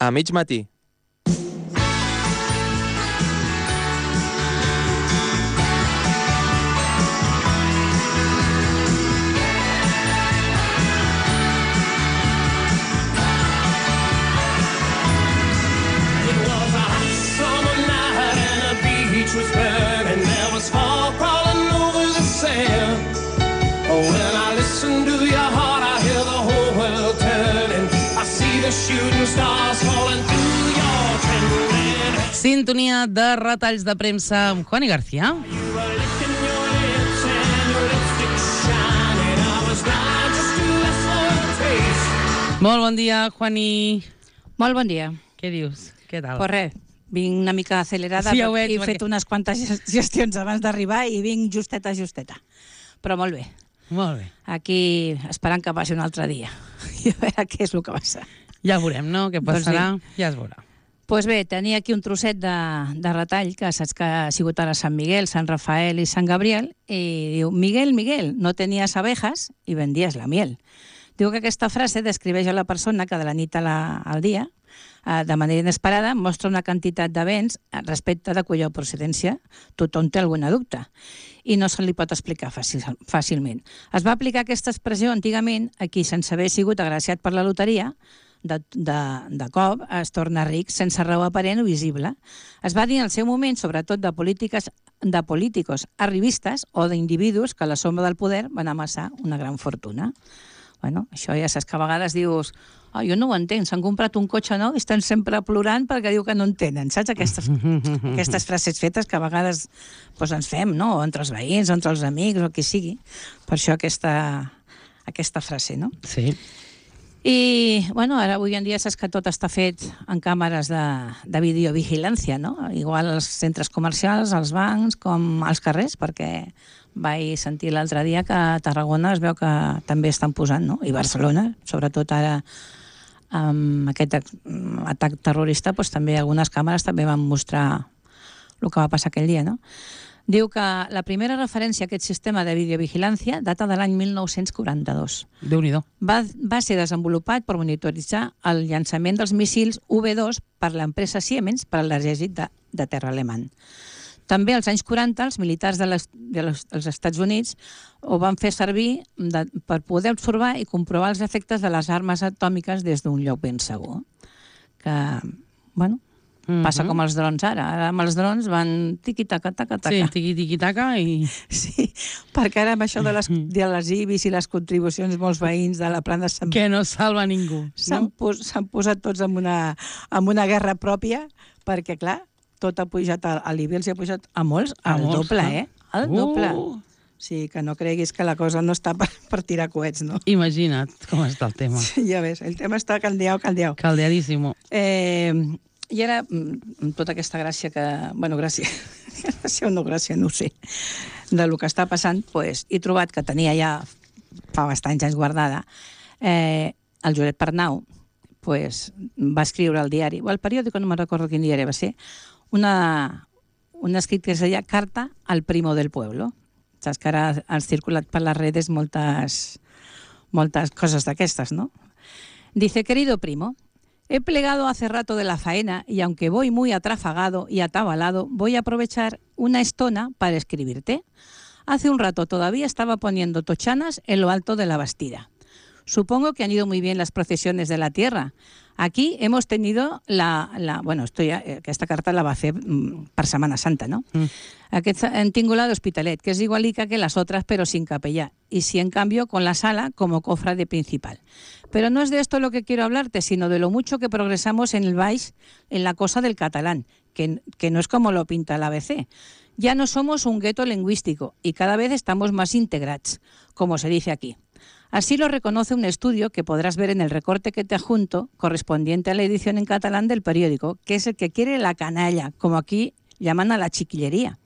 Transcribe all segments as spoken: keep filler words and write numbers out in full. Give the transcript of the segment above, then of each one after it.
A mig matí. Was burning, there was fog crawling over the sand. Oh, when I listen to your heart, I hear the whole world turning. I see the shooting stars falling through your trembling. Sintonia de retalls de premsa amb Juani García. You were licking your lips and your lipstick shining. I was blind just to less for a taste. Molt bon dia, Juani. Molt bon dia. Què dius? Què tal? Pues res, vinc una mica acelerada, Sí, ja ho veig, he perquè- fet unes quantes gestions abans d'arribar i vinc justeta, justeta. Però molt bé, Molt bé. aquí esperant que passi un altre dia i a veure què és el que passa. Ja veurem, no?, què Doncs passarà. Ja es veurà. Doncs pues bé, tenia aquí un trosset de, de retall, que saps que ha sigut ara Sant Miguel, Sant Rafael i Sant Gabriel, i diu, Miguel, Miguel, no tenies abejas i vendies la miel. Diu que aquesta frase descriveix a la persona que de la nit a la, al dia, eh, de manera inesperada, mostra una quantitat de béns respecte de cuya procedència tothom té alguna dubte i no se li pot explicar fàcil, fàcilment. Es va aplicar aquesta expressió antigament a qui, sense haver sigut agraciat per la loteria, de, de, de cop es torna ric sense raó aparent o visible. Es va dir en el seu moment, sobretot de polítiques de políticos arribistes o d'individus que a la sombra del poder van amassar una gran fortuna. Bueno, això ja saps que a vegades dius oh, jo no ho entenc, s'han comprat un cotxe nou i estan sempre plorant perquè diu que no en tenen. Saps aquestes, aquestes frases fetes que a vegades doncs, ens fem, no? O entre els veïns, o entre els amics, o qui sigui. Per això aquesta, aquesta frase, no? Sí. I, bueno, ara avui en dia saps que tot està fet en càmeres de, de videovigilància, no? Igual als centres comercials, als bancs, com als carrers, perquè vaig sentir l'altre dia que a Tarragona es veu que també estan posant, no? I Barcelona, sobretot ara amb aquest atac terrorista, doncs també algunes càmeres també van mostrar el que va passar aquell dia, no? Diu que la primera referència a aquest sistema de videovigilància data de l'any mil nou-cents quaranta-dos. Déu-n'hi-do. Va, va ser desenvolupat per monitoritzar el llançament dels míssils U V dos per l'empresa Siemens per a l'exèrcit de, de terra alemany. També als anys quaranta els militars de les, de les, dels Estats Units ho van fer servir de, per poder observar i comprovar els efectes de les armes atòmiques des d'un lloc ben segur. Que, bueno, mm-hmm. passa com els drons ara. Ara amb els drons van tiqui-taca, taca-taca. Sí, tiqui-tiqui-taca i... Sí, perquè ara amb això de les, de les I B I S i les contribucions molts veïns de la plana s'han Que no salva ningú. s'han No? pos, s'han posat tots en una, en una guerra pròpia, perquè, clar, tot ha pujat, a l'I B I els ha pujat a molts, A al molts, doble, clar. eh? Al Uh! doble. Sí, que no creguis que la cosa no està per, per tirar coets, no? Imagina't com està el tema. Sí, ja ves, el tema està caldeau, caldeau. Caldeadíssimo. Eh, I ara, amb tota aquesta gràcia que... Bueno, gràcia, gràcia o no gràcia, no ho sé, de lo que està passant, pues, he trobat que tenia ja fa bastants anys guardada, eh, el Josep Pernau pues, va escriure al diari, o al periòdico, no me'n recordo quin diari va ser, una, un escrit que es deia Carta al primo del pueblo. Saps que ara han circulat per les redes moltes, moltes coses d'aquestes, ¿no? Dice, querido primo, he plegado hace rato de la faena y aunque voy muy atrafagado y atabalado, voy a aprovechar una estona para escribirte. Hace un rato todavía estaba poniendo tochanas en lo alto de la Bastida. Supongo que han ido muy bien las procesiones de la tierra. Aquí hemos tenido la... la bueno, esto ya, aquesta carta la va fer mm, per Setmana Santa, no? Mm. Aquest, han tingut la d'Hospitalet, que es igualica que las otras, pero sin capellá. Y sí, en cambio, con la sala como cofrade principal. Pero no es de esto lo que quiero hablarte, sino de lo mucho que progresamos en el Baix, en la cosa del catalán, que, que no es como lo pinta el A B C. Ya no somos un gueto lingüístico y cada vez estamos más integrats, como se dice aquí. Así lo reconoce un estudio que podrás ver en el recorte que te adjunto, correspondiente a la edición en catalán del periódico, que es el que quiere la canalla, como aquí llaman a la chiquillería,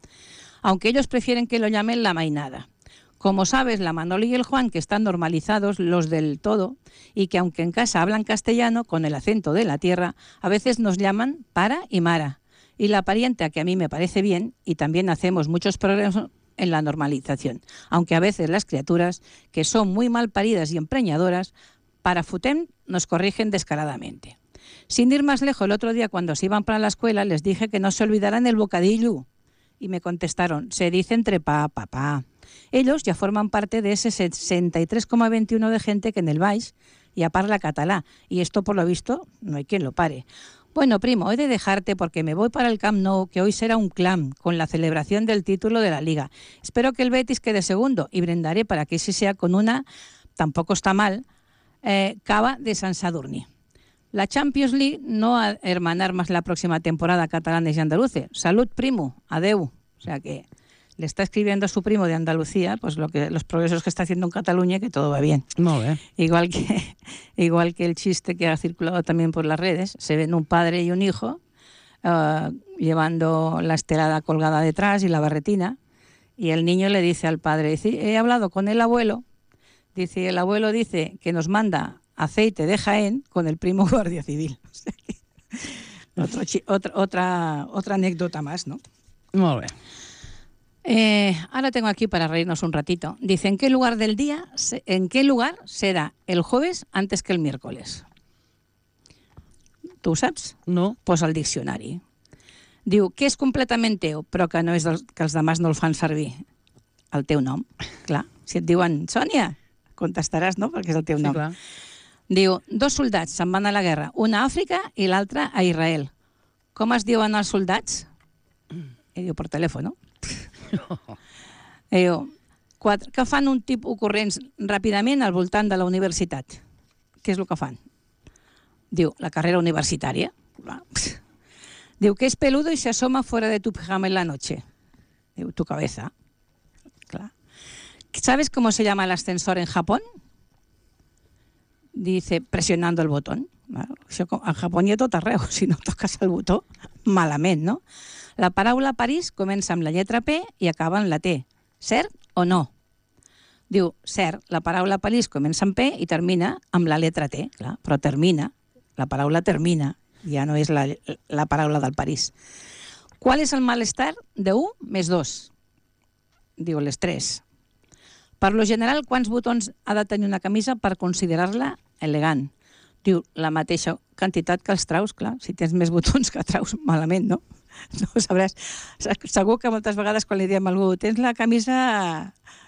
aunque ellos prefieren que lo llamen la mainada. Como sabes, la Manolo y el Juan, que están normalizados los del todo, y que aunque en casa hablan castellano, con el acento de la tierra, a veces nos llaman para y mara. Y la parienta, que a mí me parece bien, y también hacemos muchos progresos en la normalización, aunque a veces las criaturas, que son muy mal paridas y empreñadoras, para futem nos corrigen descaradamente. Sin ir más lejos, el otro día cuando se iban para la escuela les dije que no se olvidaran el bocadillo. Y me contestaron, se dice entre pa, papá. Ellos ya forman parte de ese sesenta y tres coma veintiuno de gente que en el Baix ya parla catalá. Y esto, por lo visto, no hay quien lo pare. Bueno, primo, he de dejarte porque me voy para el Camp Nou, que hoy será un clam con la celebración del título de la Liga. Espero que el Betis quede segundo y brindaré para que ese sea con una, tampoco está mal, eh, cava de San Sadurní. La Champions League no va a hermanar más la próxima temporada catalanes y andaluces. Salud, primo, adeu. O sea que le está escribiendo a su primo de Andalucía pues lo que los progresos que está haciendo en Cataluña, que todo va bien. Molt bé. Igual que, igual que el chiste que ha circulado también por las redes, se ven un padre y un hijo uh, llevando la estelada colgada detrás y la barretina, y el niño le dice al padre, dice, he hablado con el abuelo, dice, el abuelo dice que nos manda aceite de Jaén con el primo guardia civil. O sea que, otro, otra, otra, otra anécdota más, ¿no? Molt bé. Eh, ahora tengo aquí para reírnos un ratito. Dice, ¿en qué lugar del día, en qué lugar será el jueves antes que el miércoles? Tu ho saps? No. Posa el diccionari. Diu, que és completament teu, però que no és del, que els demás no el fan servir. El teu nom. Clar, si et diuen, Sònia, contestaràs, no?, perquè és el teu Sí, nom. clar. Diu, dos soldats se'n van a la guerra, un a Àfrica i l'altre a Israel. Com es diuen els soldats? I diu, per telèfon, no? I diu, quatre, que fan un tipus corrents ràpidament al voltant de la universitat. Què és el que fan? Diu, la carrera universitària. Diu, que es peludo y se asoma fuera de tu pijama en la noche. Diu, tu cabeza. Clar. ¿Sabes cómo se llama el ascensor en Japón? Dice, presionando el botón. Bueno, això en Japó hi ha tot arreu. Si no toques el botó, malament, no? La paraula París comença amb la lletra P i acaba en la T. Cert o no? Diu, cert, la paraula París comença amb P i termina amb la letra T, clar, però termina, la paraula termina, ja no és la, la paraula del París. ¿Cuál es el malestar de u més dos? Diu, l'estrès. Per lo general, quants botons ha de tenir una camisa per considerar-la elegant? Diu, la mateixa quantitat que els traus, clar, si tens més botons que traus, malament, no? No ho sabràs. Segur que moltes vegades quan li diem a algú tens la camisa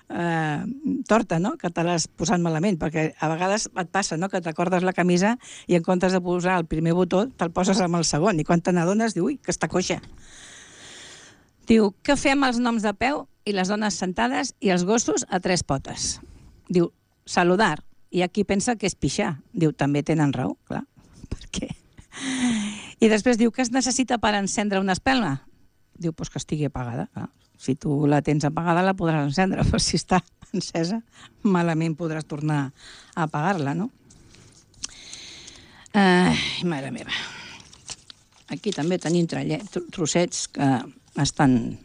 eh, torta, no?, que te l'has posat malament, perquè a vegades et passa, no?, que t'acordes la camisa i en comptes de posar el primer botó te'l poses amb el segon, i quan te n'adones diu, ui, que està coixa. Diu, què fem els noms de peu i les dones sentades i els gossos a tres potes? Diu, saludar. I aquí pensa que és pixar. Diu, també tenen raó, clar. Per què? I després diu, què es necessita per encendre una espelma? Diu, pues que estigui apagada. Clar. Si tu la tens apagada la podràs encendre, però si està encesa malament podràs tornar a apagar-la, no? Ai, mare meva. Aquí també tenim trossets que estan...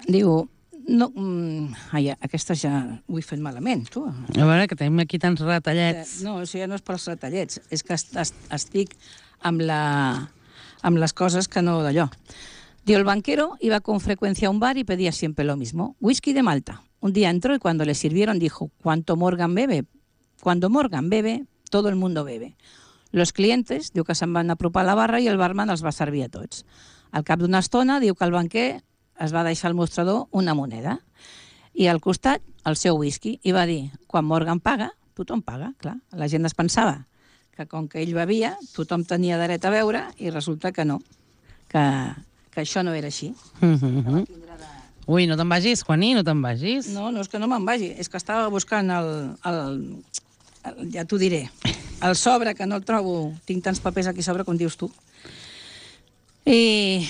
Diu... No, mm, ai, aquestes ja ho he fet malament, tu. A veure, que tenim aquí tants retallets. No, això ja no és pels retallets, és que est est estic amb, la, amb les coses que no d'allò. Diu, el banquero iba con frecuencia a un bar y pedía siempre lo mismo, whisky de Malta. Un día entró y cuando le sirvieron dijo, ¿cuánto Morgan bebe? Cuando Morgan bebe, todo el mundo bebe. Los clientes, diu que se'n van apropar a la barra i el barman els va servir a tots. Al cap d'una estona, diu que el banquer es va deixar al mostrador una moneda i al costat el seu whisky i va dir, quan Morgan paga, tothom paga, clar. La gent es pensava que com que ell bevia, tothom tenia dret a beure i resulta que no, que, que això no era així. Mm -hmm. Ui, no te'n vagis, Juaní, no te'n vagis. No, no és que no me'n vagi, és que estava buscant el, el, el ja t'ho diré, el sobre, que no el trobo, tinc tants papers aquí sobre com dius tu. I...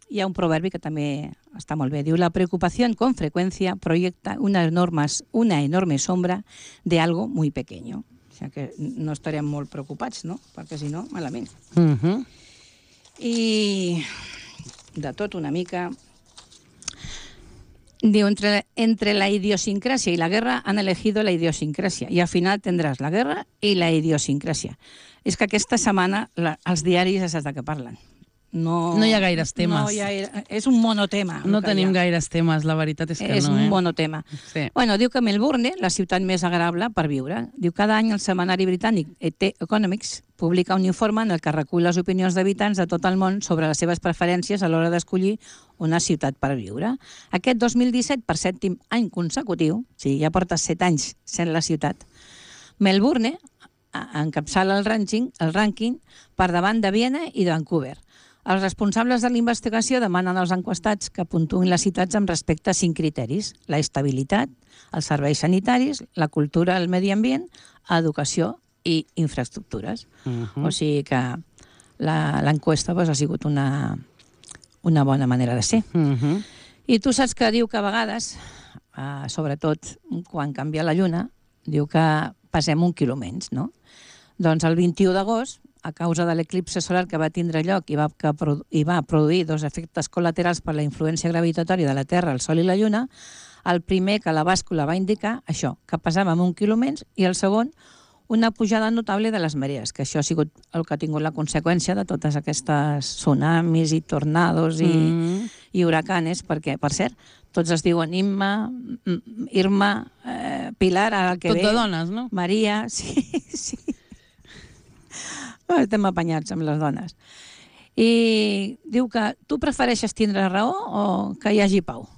hi ha un proverbi que també està molt bé. Diu, la preocupación con frecuencia proyecta una enorme, una enorme sombra de algo muy pequeño. O sea que no estarem molt preocupats, no? Perquè si no, malament. Uh -huh. I de tot una mica... Diu, entre, entre la idiosincrasia y la guerra han elegido la idiosincrasia y al final tendrás la guerra y la idiosincrasia. És que aquesta setmana la, els diaris és de què parlen. no... No hi ha gaires temes. No hi ha, és un monotema. No tenim gaires temes, la veritat és que és no, eh? És un monotema. Sí. Bueno, diu que Melbourne, la ciutat més agradable per viure. Diu que cada any el setmanari britànic The Economics publica un informe en el que recull les opinions d'habitants de tot el món sobre les seves preferències a l'hora d'escollir una ciutat per viure. Aquest dos mil disset, per sèptim any consecutiu, o sigui, ja porta set anys sent la ciutat, Melbourne encapçala el rànquing, el rànquing per davant de Viena i de Vancouver. Els responsables de la investigació demanen als enquestats que puntuïn les ciutats amb respecte a cinc criteris: la estabilitat, els serveis sanitaris, la cultura, el medi ambient, educació i infraestructures. Uh -huh. O sigui que l'enquesta pues, ha sigut una, una bona manera de ser. Uh -huh. I tu saps que diu que a vegades, eh, sobretot quan canvia la lluna, diu que passem un quilo menys, no? Doncs el vint-i-u d'agost, a causa de l'eclipse solar que va tindre lloc i va, que, i va produir dos efectes col·laterals per la influència gravitatòria de la Terra, el Sol i la Lluna, el primer que la bàscula va indicar això, que passàvem un quilo menys, i el segon, una pujada notable de les marees, que això ha sigut el que ha tingut la conseqüència de totes aquestes tsunamis i tornados i, mm. i huracanes, perquè, per cert, tots es diuen Imma, Irma, eh, Pilar, ara el que Tot ve... de dones, no? Maria, sí, sí. Estem apanyats amb les dones. I diu que tu prefereixes tindre raó o que hi hagi pau?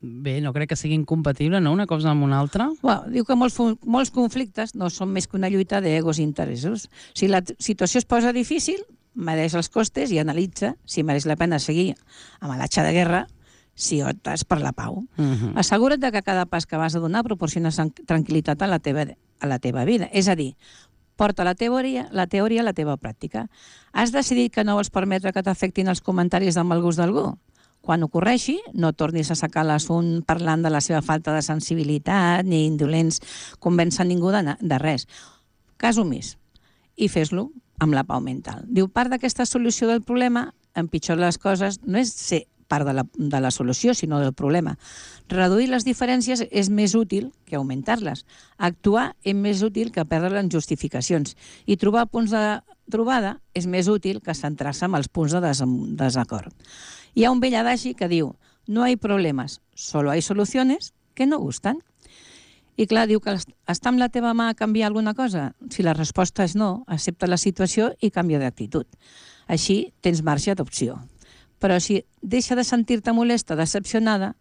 Bé, no crec que sigui incompatible, no?, una cosa amb una altra. Bueno, diu que molts, molts conflictes no són més que una lluita d'egos i interessos. Si la situació es posa difícil, mereix els costes i analitza si mereix la pena seguir amb l'atxa de guerra si optes per la pau. Uh-huh. Assegura't que cada pas que vas a donar proporciona tranquil·litat a la teva, a la teva vida. És a dir, porta la teoria, la teoria a la teva pràctica. Has decidit que no vols permetre que t'afectin els comentaris de mal gust d'algú? Quan ocorreixi, no tornis a sacar l'assumpte parlant de la seva falta de sensibilitat ni indolents convèncer ningú de, de res. Cas omís. I fes-lo amb la pau mental. Diu, part d'aquesta solució del problema, empitjora les coses, no és ser part de la, de la solució, sinó del problema. Reduir les diferències és més útil que augmentar-les. Actuar és més útil que perdre en justificacions. I trobar punts de trobada és més útil que centrar-se en els punts de des desacord. Hi ha un vell adagi que diu, no hay problemas, solo hay soluciones que no gustan. I clar, diu que està amb la teva mà a canviar alguna cosa? Si la resposta és no, accepta la situació i canvia d'actitud. Així tens marge d'opció. Però si deixa de sentir-te molesta, decepcionada,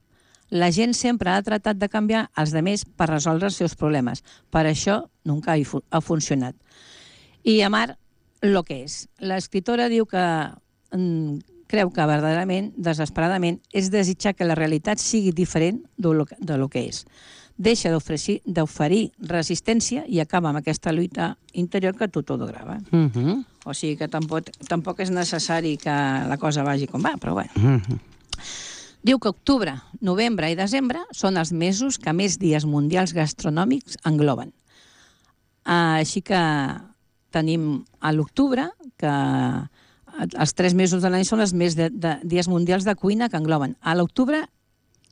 la gent sempre ha tratat de canviar els altres per resoldre els seus problemes. Per això nunca ha funcionat. I amar lo que és. L'escriptora diu que mm, creu que verdaderament, desesperadament, és desitjar que la realitat sigui diferent de lo que, de lo que és. Deixa d'oferir resistència i acaba amb aquesta lluita interior que tu tot ho grava. Uh -huh. O sigui que tampoc, tampoc és necessari que la cosa vagi com va, però bueno. Uh -huh. Diu que octubre, novembre i desembre són els mesos que més dies mundials gastronòmics engloben. Així que tenim a l'octubre, que els tres mesos de l'any són els més de, de dies mundials de cuina que engloben. A l'octubre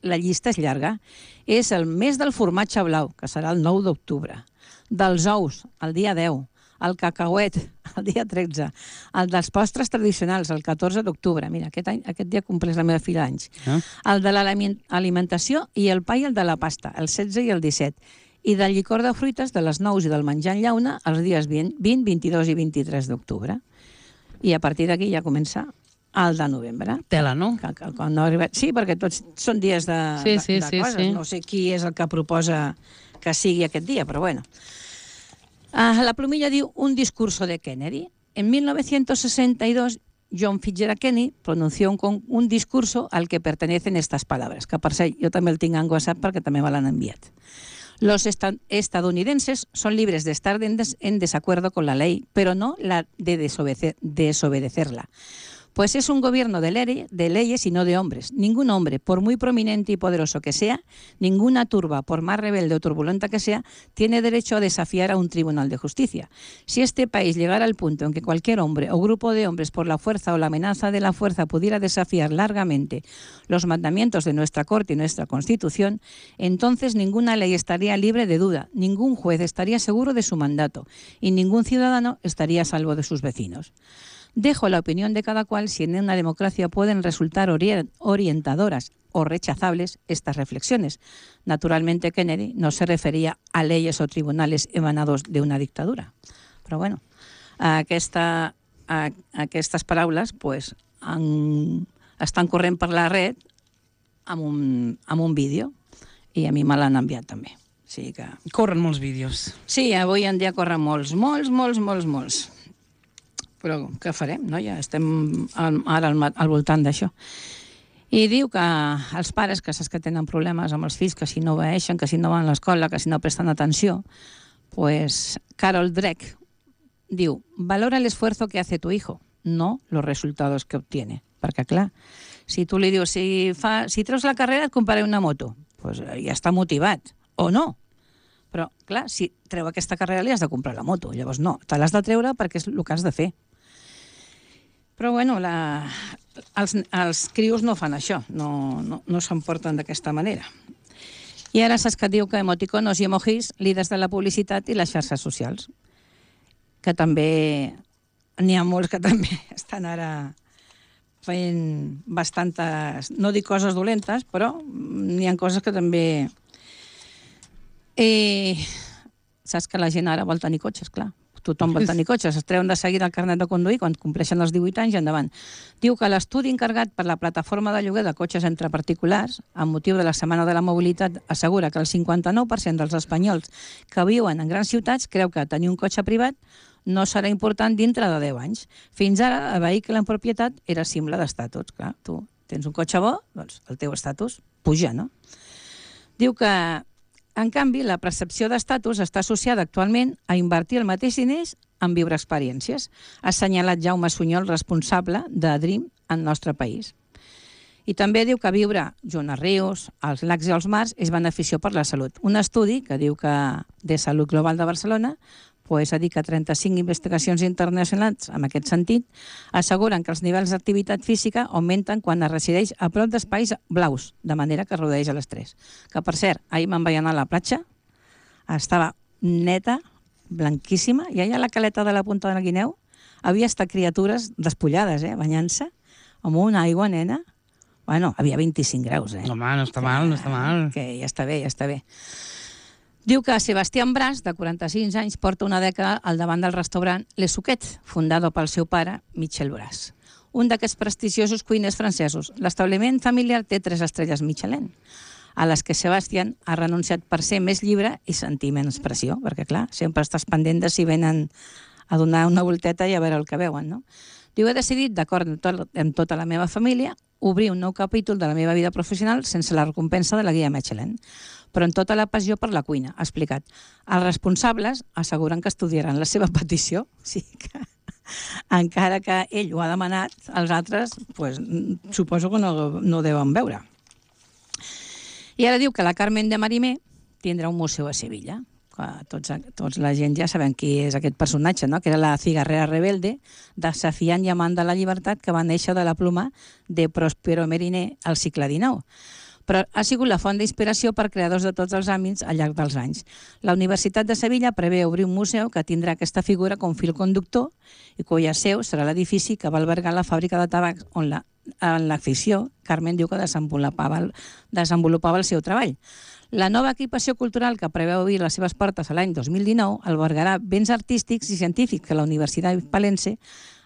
la llista és llarga. És el mes del formatge blau, que serà el nou d'octubre, dels ous, el dia deu, el cacauet, el dia tretze, el dels postres tradicionals, el catorze d'octubre. Mira, aquest, any, aquest dia compleix la meva filla anys. Ah. El de l'alimentació i el pa i el de la pasta, el setze i el disset. I del licor de fruites, de les nous i del menjar en llauna, els dies vint, vint-i-dos i vint-i-tres d'octubre. I a partir d'aquí ja comença el de novembre. Tela, no? Que, que, que no arriba... Sí, perquè tots són dies de, sí, sí, de, de sí, coses. Sí. No sé qui és el que proposa que sigui aquest dia, però bueno. Uh, la plumilla diu un discurso de Kennedy. En mil novecientos sesenta y dos, John Fitzgerald Kennedy pronunció un, un discurso al que pertenecen estas palabras, que per cert, jo també el tinc en WhatsApp perquè també me l'han enviat. Los estadounidenses son libres de estar en desacuerdo con la ley, pero no la de desobedecer, desobedecerla. Pues es un gobierno de, ley, de leyes y no de hombres. Ningún hombre, por muy prominente y poderoso que sea, ninguna turba, por más rebelde o turbulenta que sea, tiene derecho a desafiar a un tribunal de justicia. Si este país llegara al punto en que cualquier hombre o grupo de hombres por la fuerza o la amenaza de la fuerza pudiera desafiar largamente los mandamientos de nuestra Corte y nuestra Constitución, entonces ninguna ley estaría libre de duda, ningún juez estaría seguro de su mandato y ningún ciudadano estaría a salvo de sus vecinos. Dejo la opinión de cada cual si en una democracia pueden resultar ori- orientadoras o rechazables estas reflexiones. Naturalmente, Kennedy no se refería a leyes o tribunales emanados de una dictadura. Però bueno, aquesta, a, aquestes paraules pues, han, estan corrent per la red amb un, amb un vídeo i a mi me l'han enviat també. O sigui que... Corren molts vídeos. Sí, avui en dia corren molts, molts, molts, molts, molts. Però què farem, no? Ja estem al, ara al, al voltant d'això. I diu que els pares, que saps que tenen problemes amb els fills, que si no obeeixen, que si no van a l'escola, que si no presten atenció, pues Carol Dweck diu, valora el esfuerzo que hace tu hijo, no los resultados que obtiene. Perquè, clar, si tu li dius, si, fa, si treus la carrera et compraré una moto, pues ja està motivat, o no. Però, clar, si treu aquesta carrera li has de comprar la moto, llavors no, te l'has de treure perquè és el que has de fer. Però, bueno, la... els, els crios no fan això, no, no, no s'emporten d'aquesta manera. I ara saps que et diu que emoticonos i emojis, líders de la publicitat i les xarxes socials, que també n'hi ha molts que també estan ara fent bastantes, no dic coses dolentes, però n'hi ha coses que també... Eh, saps que la gent ara vol tenir cotxes, clar. Tothom vol tenir cotxes. Es treuen de seguida el carnet de conduir quan compleixen els divuit anys i endavant. Diu que l'estudi encarregat per la plataforma de lloguer de cotxes entre particulars, amb motiu de la Setmana de la Mobilitat, assegura que el cinquanta-nou per cent dels espanyols que viuen en grans ciutats creu que tenir un cotxe privat no serà important dintre de deu anys. Fins ara, el vehicle en propietat era simple d'estatus. Clar, tu tens un cotxe bo, doncs el teu estatus puja, no? Diu que, en canvi, la percepció d'estatus està associada actualment a invertir el mateix diners en viure experiències. Ha assenyalat Jaume Sunyol, responsable de Dream en el nostre país. I també diu que viure junt als rius, als lacs i als mars és beneficiós per la salut. Un estudi que diu que de Salut Global de Barcelona pues, ha dit que trenta-cinc investigacions internacionals en aquest sentit asseguren que els nivells d'activitat física augmenten quan es resideix a prop d'espais blaus, de manera que redueix l'estrès. Que, per cert, ahir me'n vaig anar a la platja, estava neta, blanquíssima, i allà a la caleta de la Punta de la Guineu havia estat criatures despullades, eh, banyant-se, amb una aigua, nena. Bueno, havia vint-i-cinc graus, eh? Home, no està mal, no està mal. Que ja està bé, ja està bé. Diu que Sebastián Bras, de quaranta-cinc anys, porta una dècada al davant del restaurant Le Suquet, fundado pel seu pare, Michel Bras, un d'aquests prestigiosos cuiners francesos. L'establiment familiar té tres estrelles Michelin, a les que Sebastián ha renunciat per ser més llibre i sentir menys pressió, perquè, clar, sempre estàs pendent de si venen a donar una volteta i a veure el que veuen, no? Diu, he decidit, d'acord amb, tot, amb tota la meva família, obrir un nou capítol de la meva vida professional sense la recompensa de la guia Michelin, però en tota la passió per la cuina, ha explicat. Els responsables asseguren que estudiaran la seva petició, o sigui que encara que ell ho ha demanat, els altres pues, suposo que no, no deuen veure. I ara diu que la Carmen de Marimé tindrà un museu a Sevilla. Tots, tots la gent ja sabem qui és aquest personatge, no? Que era la cigarrera rebelde, desafiant i amant de la llibertat, que va néixer de la pluma de Prospero Meriné al segle dinou. Però ha sigut la font d'inspiració per creadors de tots els àmbits al llarg dels anys. La Universitat de Sevilla prevé obrir un museu que tindrà aquesta figura com fil conductor i cuya seu serà l'edifici que va albergar la fàbrica de tabac on la, en la ficció Carmen diu que desenvolupava, desenvolupava el seu treball. La nova equipació cultural que preveu obrir les seves portes a l'any dos mil dinou albergarà béns artístics i científics que la Universitat Palense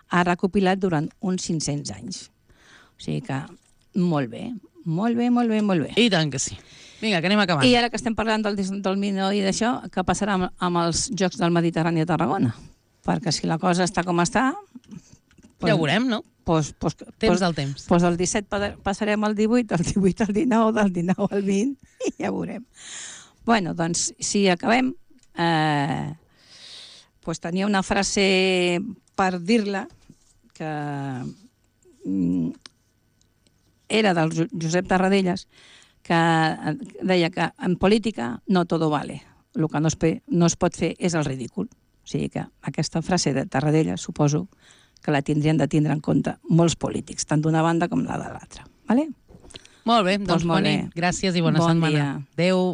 ha recopilat durant uns cinc-cents anys. O sigui que molt bé, molt bé, molt bé, molt bé. I tant que sí. Vinga, que anem acabant. I ara que estem parlant del dolmino i d'això, què passarà amb, amb els Jocs del Mediterrani a Tarragona? Perquè si la cosa està com està... Pues, ja ho veurem, no? Pues, pues, temps pues, del temps. Pues del disset passarem al divuit, del divuit al dinou, del dinou al vint, i ja veurem. Bueno, doncs, si acabem, eh, pues tenia una frase per dir-la, que mm, era del Josep Tarradellas, que deia que en política no todo vale. El que no es, no es pot fer és el ridícul. O sigui que aquesta frase de Tarradellas, suposo que la tindrien de tindre en compte molts polítics, tant d'una banda com la de l'altra. Vale? Molt bé, doncs, doncs molt Connie, bé. gràcies i bona bon setmana. Dia. Adéu.